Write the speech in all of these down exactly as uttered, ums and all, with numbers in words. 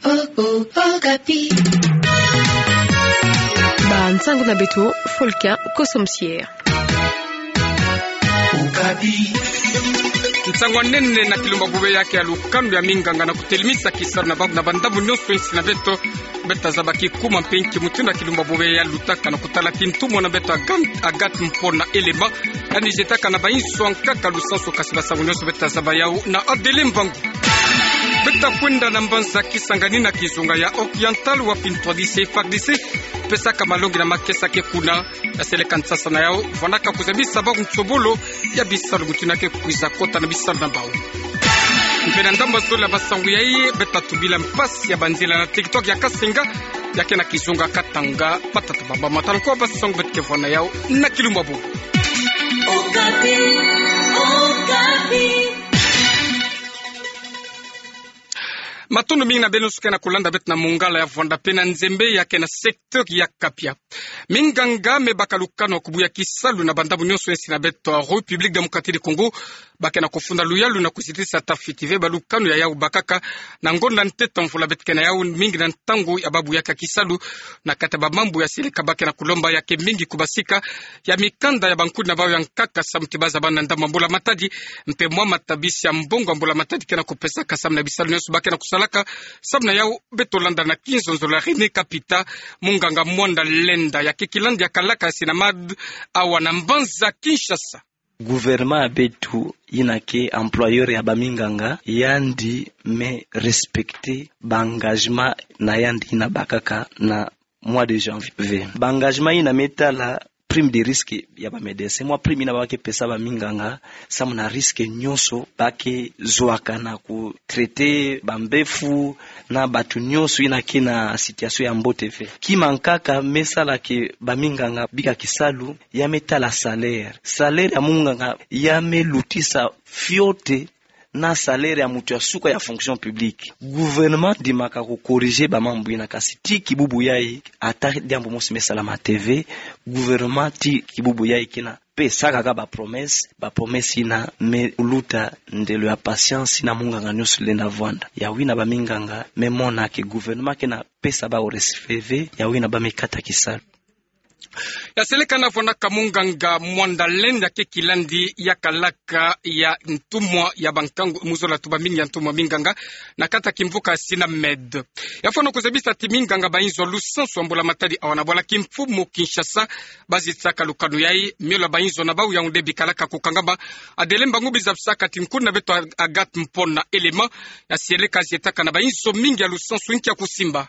Oh, oh, Okapi. Ba nsangu na beto, Folka Kosomsier. Okapi. Nsangu a nene na kilumbu bobia ya ke ya lukanu ya minganga na kutelimisa kisalu na ba, na bandambu nyonso insi na beto. Beta zaba ki kuma mpe nki mutindu kilumbu bobia ya lutaka na kutala kintumwa na beto Agan-, Agathe Mpona Elema. Yandi zietaka na bainzo ankaka lusansu, kasi basangu nyonso beta zaba yau na Adele Mbangu. Beta kwenda na mbanza Kisangani na kizunga ya Oriental, wapi ntwadisi ya F A R D C pesaka malongi na makesa ke kuna. Ya seleka nsasa na yau, vwanaka kuzabisa bau nsobolo ya bisalu mutindu ke kwiza kota na bisalu na bau. Mpe na ndambu zole ya basangu yai, beta tubila mpasi ya banzila na territoire ya Kasenga, ya ke na kizunga Katanga, matata baba matala kwa basangu beta ke vwa na yau na kilumbu bobia. Okapi, Okapi. Matondo mingi na beno nyonso ke na kulanda beto na Mungala ya Vwanda mpe na Nzembe ya ke na secteur ya Kapia. Minganga me baka lukanu ya kubuya kisalu na bandambu nyonso insi na beto République Démocratique du Congo, ba ke na kufunda luyalu na kuzitisa tafiti ve ba lukanu ya yau bakaka na ngonda ntete mvula beta ke na yau mingi na ntangu ya babuyaka kisalu na kati ya bamambu ya seleka. Ba ke na kulomba ya ke mingi ku basika ya mikanda ya bankudi na bau ya nkaka samu ti ba zaba na ndambu ya mbula matadi, mpe mwa matabisi ya mbongo ya mbula matadi ke na kupesaka samu na bisalu nyonso ba ke na kusalaka samu na yau. Beto landa na kinzonzolo ya René Kapita, munganga Mwanda Lenda ya ke kilandi ya kalaka ya Sinamad awa na mbanza Kinshasa. Gouvernement ya beto yina ke employeur ya baminganga, yandi me respecter ba engagement na yandi yina bakaka na mois de janvier. Ba engagement yina me tala prime de risque ya ba médecin, mwa prime yina ba ke pesa baminganga samu na risque nyonso ba ke zwaka na ku traiter bambefo na bantu nyonso yina ke na situation ya mbote ve. Kima nkaka me sala ke baminganga bika kisalu, ya me tala salaire. Salaire ya munganga ya me lutisa fioti na salaire ya mutu ya suka ya fonction publique. Gouvernement ndimaka ku corriger bamambu yina, kasi tii kibubu yai ata diambu mosi me salama te ve. Gouvernement tii kibubu yai ke na pesaka kaka ba promesse, ba promesse yina me luta ndelo ya patience yina munganga nyonso lenda vwanda. Yawu yina baminganga me mona ke gouvernement ke na pesa bau respect ve, yawu yina ba me kata kisalu. Ya seleka na vwanaka munganga Mwanda Lenda ke kilandi ya kalaka ya ntumwa ya bankangu, mu zola tuba mingi ya ntumwa minganga na kati ya kimvuka Sinamed. Ya fwana kuzabisa ti minganga ba inzo lusansu ya mbula matadi awa na bwala kimfumu Kinshasa ba zitisaka lukanu yai, miolo ya ba inzo na bau Yaoundé bikalaka kukangama. Adele Mbangu, bi zabisaka ti nkuni na beto Agathe Mpona Elema, ya seleka zietaka na ba inzo mingi ya lusansu nki ya kusimba.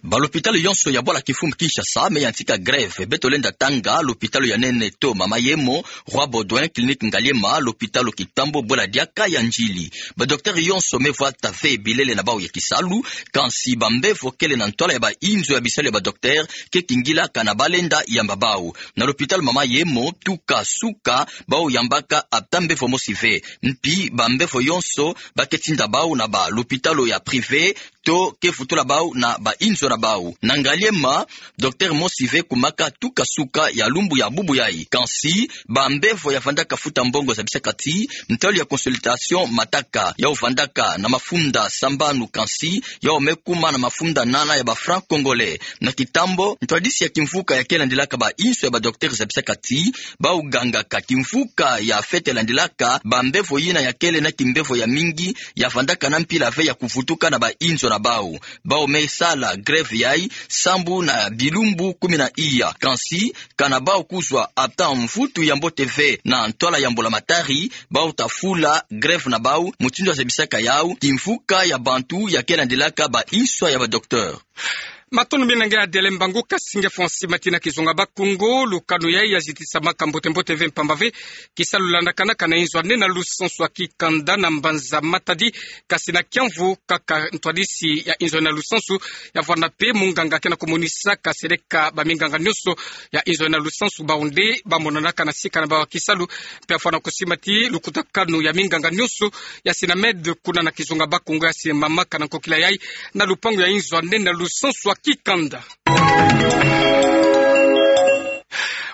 Ba lopitalo yonso ya bwala kimfumu Kinshasa me yantika grève. Beto lenda tanga lopitalo ya nene to Mama Yemo, Roi Baudouin, Clinique Ngaliema, lopitalo Kitambo, bwela diaka ya Ndjili. Ba docteur yonso me vwata ve bilele na bau ya kisalu, kansi bambevo kele na ntwala ya ba inzo ya bisalu ya ba docteur ke kingilaka na ba lenda yamba bau. Na lopitalo Mama Yemo, tuka suka bau yambaka ata mbevo mosi ve. Mpi bambevo yonso ba ke tinda bau na ba lopitalo ya privé, to ke vutula bau na ba inzo na bau. Na Ngaliema, docteur mosi ve kumaka tuka suka ya lumbu ya bubu yai. Kansi bambevo ya vandaka futa mbongo zabisaka ti ntalu ya consultation mataka, yau vandaka na mafunda sambanu, kansi yau me kuma na mafunda nana ya ba francs congolais. Na Kitambo, ntwadisi ya kimvuka ya ke landilaka ba inzo ya ba docteur zabisaka ti bau gangaka kimvuka ya fete landilaka, bambevo yina ya kele na kimbevo ya mingi ya vandaka na mpila ve ya kuvutuka na ba inzo na bau. Bau me sala grève yai sambu na bilumbu kumi na iya. Kansi kana bau kuzwa ata mvutu ya mbote ve na ntwala ya mbula matari, bau ta fula grève na bau, mutindu ya zabisaka yau kimvuka ya bantu ya ke landilaka ba inzo ya ba docteur. Matondo mingi na nge Adele Mbangu. Kasi nge fwa nsi mati na kizunga Bakongo, lukanu yai ya zitisamaka mbote mbote ve mpamba ve kisalu landakanaka na inzo ya nene ya lusansu ya kikanda na mbanza Matadi, kasi na kiamvu kaka ntwadisi ya inzo ya nene ya lusansu ya vwanda mpe munganga ke na kumonisaka seleka baminganga nyonso ya inzo ya nene ya lusansu bau nde ba monanaka na sika na bau ya kisalu. Mpe ya fwana kusimba ti lukutakanu ya minganga nyonso ya Sinamed kuna na kizunga Bakongo ya simamaka na nkokila yai na lupangu ya inzo ya nene ya lusansu ya kikanda.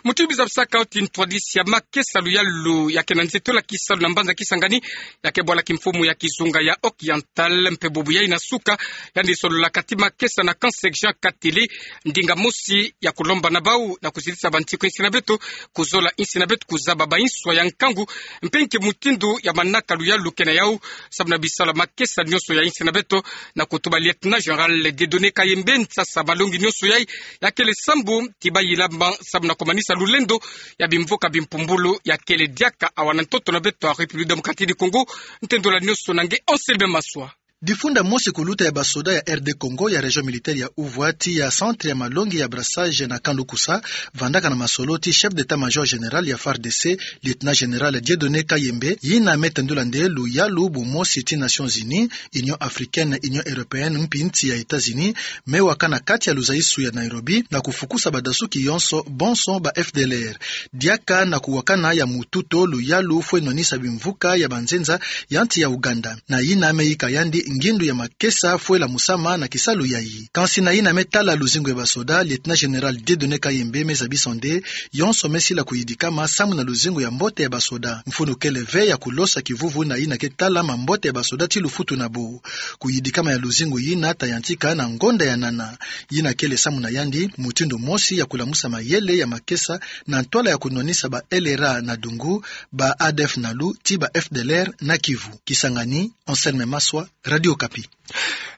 Muti biza bisaka oti ntwadisi ya makesa luyalu ya ke na nzeto la kisalu na mbanza Kisangani, ya ke bwala kimfumu ya kizunga ya Occidental, mpe bubu yai na suka, yandi sololaka ti makesa na Camp Saint Jean Katele, ndinga mosi ya kulomba na bau na kuzitisa bantiku insi na beto, kuzola insi na beto, kuzaba ba inswa ya nkangu, mpe nki mutindu ya manaka luyalu ke na yau, samu na bisalu ya makesa nyonso ya insi na beto, na kutuba Lieutenant Général Dieudonné Kayembe nsasa malongi nyonso yai, ya kele sambu ti bayilama samu na kumanisa lulendo ya bimvuka bimpumbulu ya kele diaka awa na ntoto na beto ya République Démocratique du Congo, ntendola nyonso na nge Anselme Maswa. Difunda mosi kuluta ya basoda ya R D Congo ya Région Militaire ya Ouvwa ti ya centre ya malongi ya brassage na Camp Lukusa, vandaka na masolo ti chef d'état-major général ya F A R D C, Lieutenant Général Dieudonné Kayembe, yina me tendula nde luyalu bumosi ti Nations Unies, Union Africaine, Union Européenne, mpi nsi ya États-Unis, me waka na kati ya luzayisu ya Nairobi, na kufukusa badasuki yonso, bonso ba F D L R. Diaka na kuwakana ya mututo luyalu fwe nwanisa bimvuka ya banzenza ya nsi ya Ouganda. Na yina me yika yandi ngindu ya makesa fwe lamusama na kisalu yayi. Kansi na yina me tala luzingu ya basoda, Lieutenant Général Dieudonné Kayembe me zabisa nde, yonso me sila kuyidikama samu na luzingu ya mbote ya basoda. Mfunu kele ve ya kulosa kivuvu na yina ke tala mambote ya basoda ti lufutu na bo. Kuyidikama ya luzingu yina ta yantika na ngonda ya nana. Yina kele samu na yandi, mutindu mosi ya kulamusa mayele ya makesa, na ntwala ya kunwanisa ba L R A na Dungu, ba A D F Nalu, ti ba F D L R na Kivu. Kisangani, Anselme Maswa, Radio Okapi.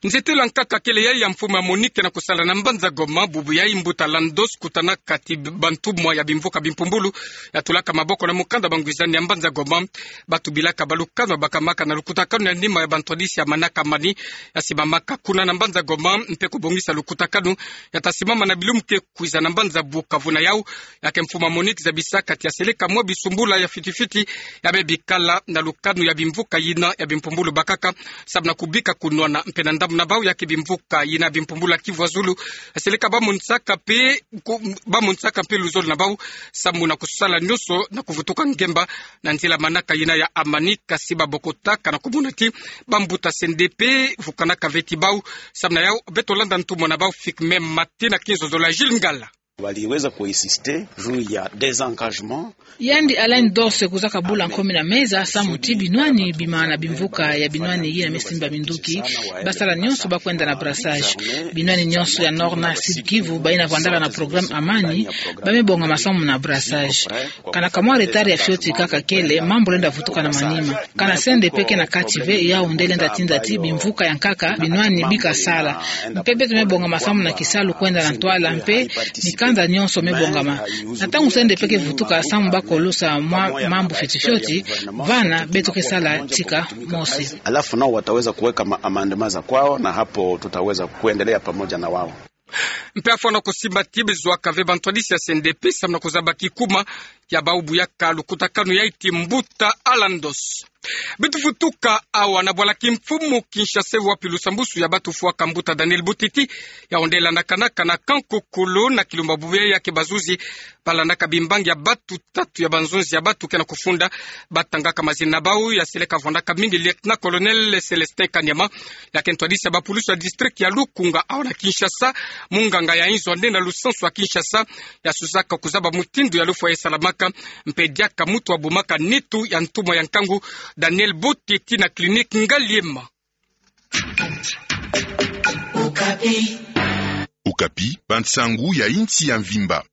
Nzeto la nkaka kele yai ya mfumu ya Monique na kusala na mbanza Goma, bubu yai mbuta Landos kutanaka ti bantumwa ya bimvuka bimpumbulu, ya tulaka maboko na mukanda bangwizani ya mbanza Goma, batubilaka balukanwa bakamaka na lukutakanu ya nima ya bantwadisi ya manaka mani, ya simamaka kuna na mbanza Goma, mpe kubongisa lukutakanu, ya ta simama na bilumbu ke kwiza na mbanza Bukavu na yau, ya ke mfumu ya Monique zabisaka ti ya seleka mwa bisumbula ya fitifiti, ya me bikala na lukanu ya bimvuka yina ya bimpumbulu bakaka, samu na kubika kunwana mpe na ndambu na bau ya ke bimvuka yina ya bimpumbulu ya Kivu ya Zulu, ya seleka bamonisaka mpe, ku-, bamonisaka mpe luzolo na bau, samu na kusala nyonso na kuvutuka ngemba, na nzila manaka yina ya amani, kasi babokotaka na kumona ti bambuta C N D P vukanaka ve ti bau, samu na yau beto landa ntumwa na bau Figme Mate na kinzonzolo ya Gilles Ngala. Waliweza kuinsister juu ya désengagement. Yandi Alain Dos kuzaka bula nkomi na meza, samu ti binwani bima na bimvuka ya binwani yina me simba minduki, basala nyonso ba kwenda na brassage. Binwani nyonso ya Nord na Sud Kivu, bayina vandaka na programme Amani, ba me bongama samu na brassage. Kana kamwa retard ya fioti kaka kele, mambu lenda vutuka na manima. Kana C N D P ke na kati ve, yau nde lenda tinda ti bimvuka ya nkaka binwani bika sala. Mpe beto me bongama samu na kisalu kwenda na ntwala, mpe mikanda nyonso me bongama. Na ntangu C N D P ke vutuka samu ba kolosa mwa mambu fioti fioti, vana beto ke sala tika mosi. Alafu nao wataweza kuweka ma-, amendement za kwao, na hapo tutaweza kuendelea pamoja na wao. Mpe afwana kusimba ti bezwaka ve bantwadisi ya C N D P samu na kuzaba kikuma ya bau bu yaka lukutakanu yai ti mbuta Alain Dos. Beto vutuka awa na bwala kimfumu Kinshasa, wapi lusambusu ya batu fwaka mbuta Daniel Butiti, yau nde landakanaka na Kankokolo na Kilumba, bubu yai ya ke bazuzi balandaka bimbangi ya batu tatu ya banzonzi ya batu ke na kufunda, batangaka mazina na bau, ya seleka vwandaka mingi Lieutenant-colonel Célestin Kanyama, ya ke ntwadisi ya bapulusu ya district ya Lukunga awa na Kinshasa, munganga ya inzo nde na lusansu ya Kinshasa, ya suzaka kuzaba mutindu ya lufwa ya salamaka, mpe diaka mutu wa bumaka nitu ya ntumwa ya nkangu Daniel Butiti na clinique Ngaliema. Okapi, bansangu ya insi ya mvimba.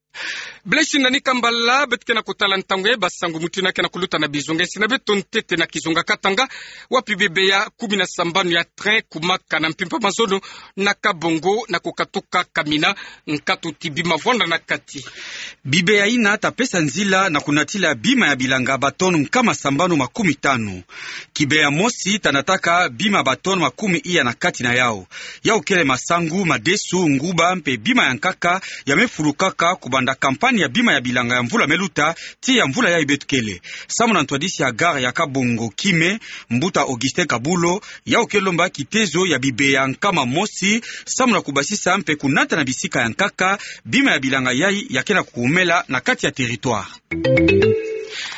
Blaise Nani Kambala, beto ke na kutala ntangu ya basangu mutu yina ke na kuluta na bizunga insi na beto ntete na kizunga Katanga, wapi bibeya kumi na sambanu ya train kumaka na mpimpa mazono na Kabongo na kukatuka Kamina, nkatu ti bima vwanda na kati. Bibeya yina ta pesa nzila na kunatila bima ya bilanga ba tonnes nkama sambanu makumi tanu. Kibeya mosi ta nataka bima ba tonnes makumi iya na kati na yau. Yau kele masangu, madesu, nguba, mpe bima ya nkaka, ya me fulukaka kubanda campagne ya bima ya bilanga ya mvula me luta, tii ya mvula yai beto kele. Samu na ntwadisi ya gare ya Kabongo Kime, mbuta Augustin Kabulo, yau ke lomba kitezo ya bibeya nkama mosi, samu na kubasisa mpe kunata na bisika ya nkaka bima ya bilanga yai ya ke na kukumela na kati ya territoire.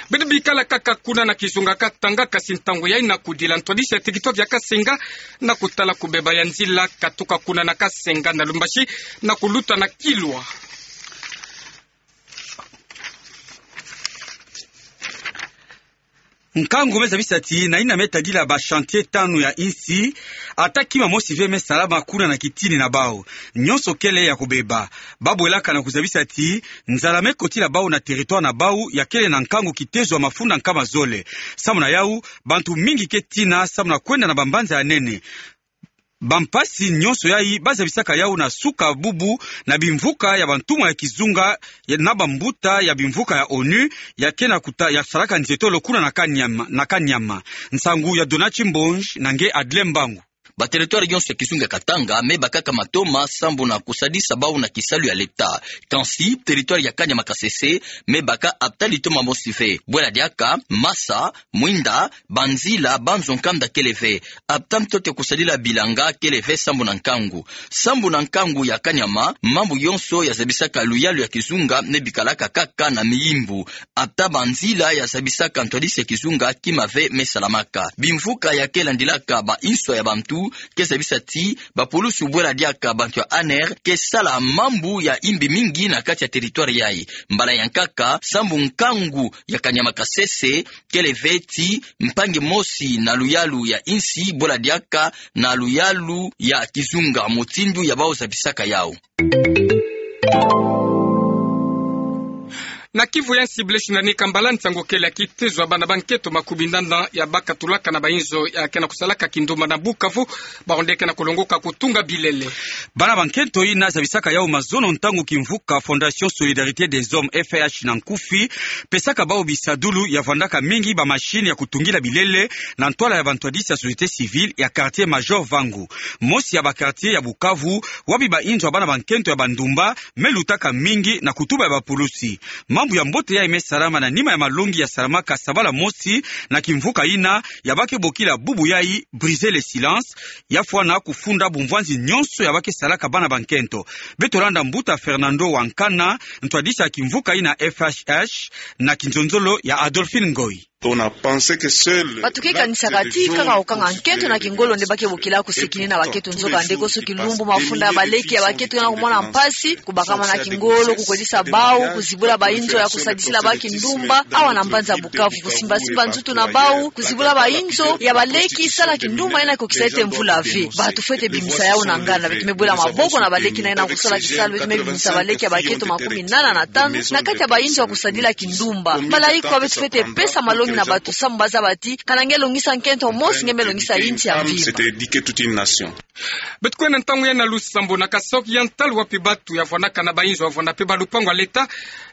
Beto bikala kaka kuna na kizunga Katanga, kasi ntangu yai na kudila ntwadisi ya territoire ya Kasenga, na kutala kubeba ya nzila katuka kuna na Kasenga na Lumbashi, na kuluta na Kilwa. Nkangu me zabisa ti na yina me tadila ba chantier tanu ya insi, ata kima mosi ve me salama kuna na kitini na bau. Nyonso kele ya kubeba. Ba bwelaka na kuzabisa ti nzala me kotila bau na territoire na bau ya kele na nkangu kitezo ya mafunda nkama zole. Samu na yau, bantu mingi ke tina samu na kwenda na bambanza ya nene. Bampasi nyonso yai ba zabisaka yau na suka bubu na bimvuka ya bantumwa ya kizunga ya, na bambuta ya bimvuka ya onu ya ke na kuta ya salaka nzietolo kuna na Kanyama, na Kanyama. Nsangu ya Donatien Mbonj na nge Adle Mbangu. Ba territoire nyonso ya kizunga ya Katanga me bakaka matoma sambu na kusadisa bau na kisalu ya leta. Kansi territoire ya Kanyama Kasese me baka ata litoma mosi ve. Bwela diaka, masa, mwinda, banzila, banzo nkanda kele ve. Ata ntoto ya kusadila bilanga kele ve sambu na nkangu. Sambu na nkangu ya Kanyama, mambu yonso ya zabisaka luyalu ya kizunga me bikalaka kaka na miyimbu. Ata banzila ya zabisaka ntwadisi ya kizunga kima ve me salamaka. Bimvuka ya ke landilaka ba inswa ya bantu ke zabisa ti bapulusu bwela diaka bantu ya aner ke sala mambu ya imbi mingi na kati ya territoire yai. Mbala ya nkaka, sambu nkangu ya Kanyama Kasese kele ve ti mpangi mosi na luyalu ya insi bwela diaka na luyalu ya kizunga, mutindu ya bau zabisaka yau. Na Kivu ya nsi, Blaise Nani Kambala, nsangu kele ya kitezo ya bana ba nkento makumi nana ya ba katulaka na ba inzo ya ke na kusalaka kindumba na Bukavu, bawu nde ke na kulongoka kutunga bilele. Bana ba nkento yina zabisaka yau mazono ntangu kimvuka Fondation Solidarité des Hommes, F S H na nkufi, pesaka bau bisadulu ya vandaka mingi ba machine ya kutungila bilele na ntwala ya bantwadisi ya société civile ya quartier Major Vangu. Mosi ya ba quartier ya Bukavu, wapi ba inzo ya bana ba nkento ya bandumba me lutaka mingi na kutuba ya bapulusi. Mambu ya mbote yai me salama na nima ya malongi ya salamaka sabala mosi na kimvuka yina ya ba ke bokila bubu yai Briser le silence, ya fwana kufunda bumvwanzi nyonso ya ba ke salaka bana ba nkento. Beto landa mbuta Fernando Wankana, ntwadisi ya kimvuka yina F S H, na kinzonzolo ya Adolphine Ngoyi. On a pensé que seul... Bato ke kanisaka ti kaka kokanga nkento na kingolo nde ba ke bokila kusekina na bakento. Nzokande, konso kilumbu mafunda ya baleki ya bakento ke na kumona mpasi, kubakama na kingolo, kukwedisa bau, kuzibula ba inzo ya kusadisila bau kindumba awa na mbanza Bukavu, kusimbasimba nzoto na bau, kuzibula ba inzo ya baleki, sala kindumba yina ke kukisa ete mvula ve. Bato fwete bimisa yau na nganda. Beto me bwela maboko na baleki na yina kusala kisalu. Beto me bimisa baleki ya bakento makumi nana na tanu na kati ya ba inzo ya kusadila kindumba. Mbala ikwa beto fwete pesa malongi na bato samu ba zaba ti kana nge longisa nkento mosi, nge me longisa insi ya mvimba. C'était éduquer toute une nation. Beto kwenda ntangu yai na Lusambo, na Kasaï Oriental, wapi bato ya vwandaka na ba inzo ya vwanda pe ba lupangu ya leta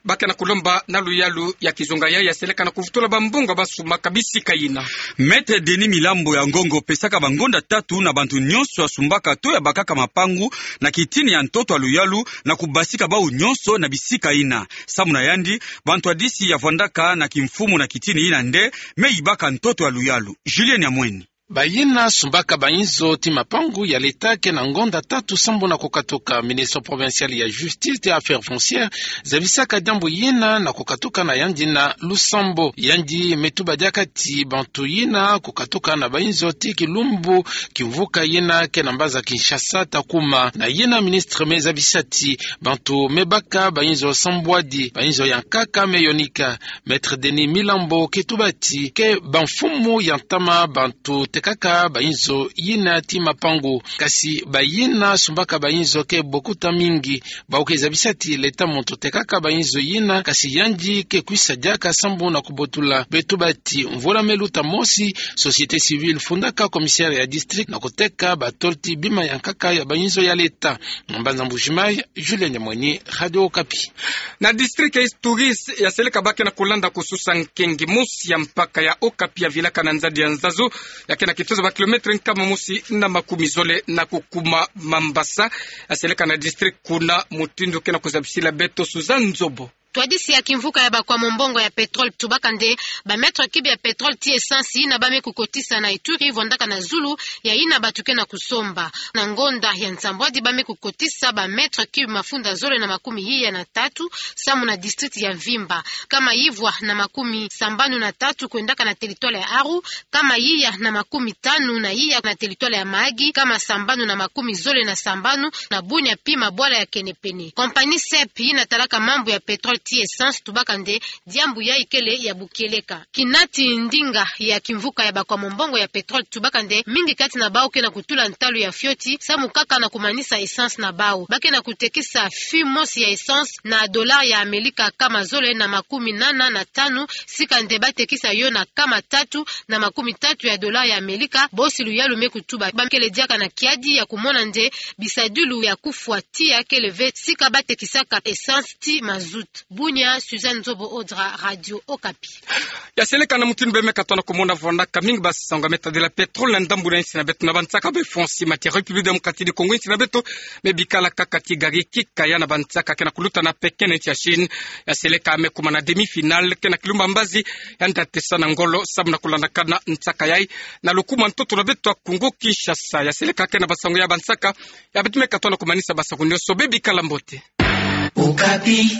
ba ke na kulomba na luyalu ya kizunga yai ya seleka na kuvutula ba mbongo ba sumbaka bisika yina. Maître Denis Milambo ya Ngongo pesaka bangonda tatu na bantu nyonso ya sumbaka to ya bakaka mapangu na kitini ya ntoto ya luyalu na kubasika bau nyonso na bisika yina. Samu na yandi, bantwadisi ya vwandaka na kimfumu na kitini yina nde me yibaka ntoto ya luyalu. Julien Nyamweni. Bayina sumbaka ba inzo ti mapangu ya leta ke na ngonda tatu sambu na kukatuka. Ministre provincial ya Justice et Affaires foncières zabisaka diambu yina na kukatuka na yandi na Lusambo. Yandi me tuba diaka ti bantu yina kukatuka na ba inzo ti kilumbu kimvuka yina ke na mbanza Kinshasa ta kuma. Na yina ministre me zabisa ti bantu me baka ba inzo sambwadi, ba inzo ya nkaka me yonika. Maître Denis Milambo ke tuba ti ke bamfumu ya ntama bantu tekaka ba inzo yina ti mapangu. Kasi bayina sumbaka ba inzo ke bokuta mingi. Bau ke zabisa ti leta muntu tekaka ba inzo yina, kasi yandi ke kwisa diaka sambu na kubotula. Beto tuba ti mvula me luta mosi, société civile fundaka commissaire ya district na kuteka batolo ti bima ya nkaka ya ba inzo ya leta. Mbanza Mbujimayi, Julien Nyamweni, Radio Okapi. Na district ya East Touriste, ya seleka ba ke na kulanda kususa nkengi. Mosi ya mpaka ya Okapi ya vilaka na nzadi ya Nzazu, ya ke na kitezo ba kilomètre nkama mosi na makumi zole na kukuma Mambasa, ya seleka na district kuna, mutindu ke na kuzabisila beto Suzanne Nzobo. Ntwadisi ya kimvuka ya bakwa mombongo ya pétrole tubaka nde ba mètre cube ya pétrole ti essence yina ba me kukotisa na Ituri vwandaka na zulu ya yina bato ke na kusomba. Na ngonda ya nsambwadi ba me kukotisa ba mètre cube mafunda zole na makumi iya na tatu, samu na district ya mvimba. Nkama yivwa na makumi sambanu na tatu kwendaka na territoire ya Aru, nkama iya na makumi tanu na iya na territoire ya Mahagi, nkama sambanu na makumi zole na sambanu na Bunia pi mabwala ya kenepene. Compagnie SEP yina talaka mambu ya pétrole ti essence, tubaka nde diambu yayi kele ya bukieleka. Kinati ndinga ya kimvuka ya bakwa mombongo ya pétrole tubaka nde mingi kati na bawu ke na kutula ntalu ya fioti samu kaka na kumanisa essence na bawu. Ba ke na kutekisa fût mosi ya essence na dollar ya Amelika kama zole na makumi nana na tanu, sika nde ba tekisa yo na kama tatu na makumi tatu ya dollar ya Amelika, bosi luyalu me kutuba. Ba kele diaka na kiadi ya kumona nde bisadilu ya kufwa tiya kele ve sika ba tekisaka essence ti mazout. Bunia, Suzanne Nzobo Odra, Radio Okapi. Ya seleka na mutindu bê me katoa na kumona vonaka mingi basango ya me tadila pétrole na ndambu na insi na beto na bansaka bê Fonsi, matière République démocratique du Congo, insi na beto me bikala kaka ti gari kikaya na bansaka ke na kuluta na Pékin na insi ya Chine. Ya seleka me kuma na demi-finale ke na kilumba mbazi ya nda tesa na ngolo samu na kulandakana nsaka yayi na lukuma ntoto na beto ya Congo Kinshasa. Ya seleka ke na basango ya bansaka ya beto me katoa na kumanisa basango nioso, bê bikala mbote. Okapi.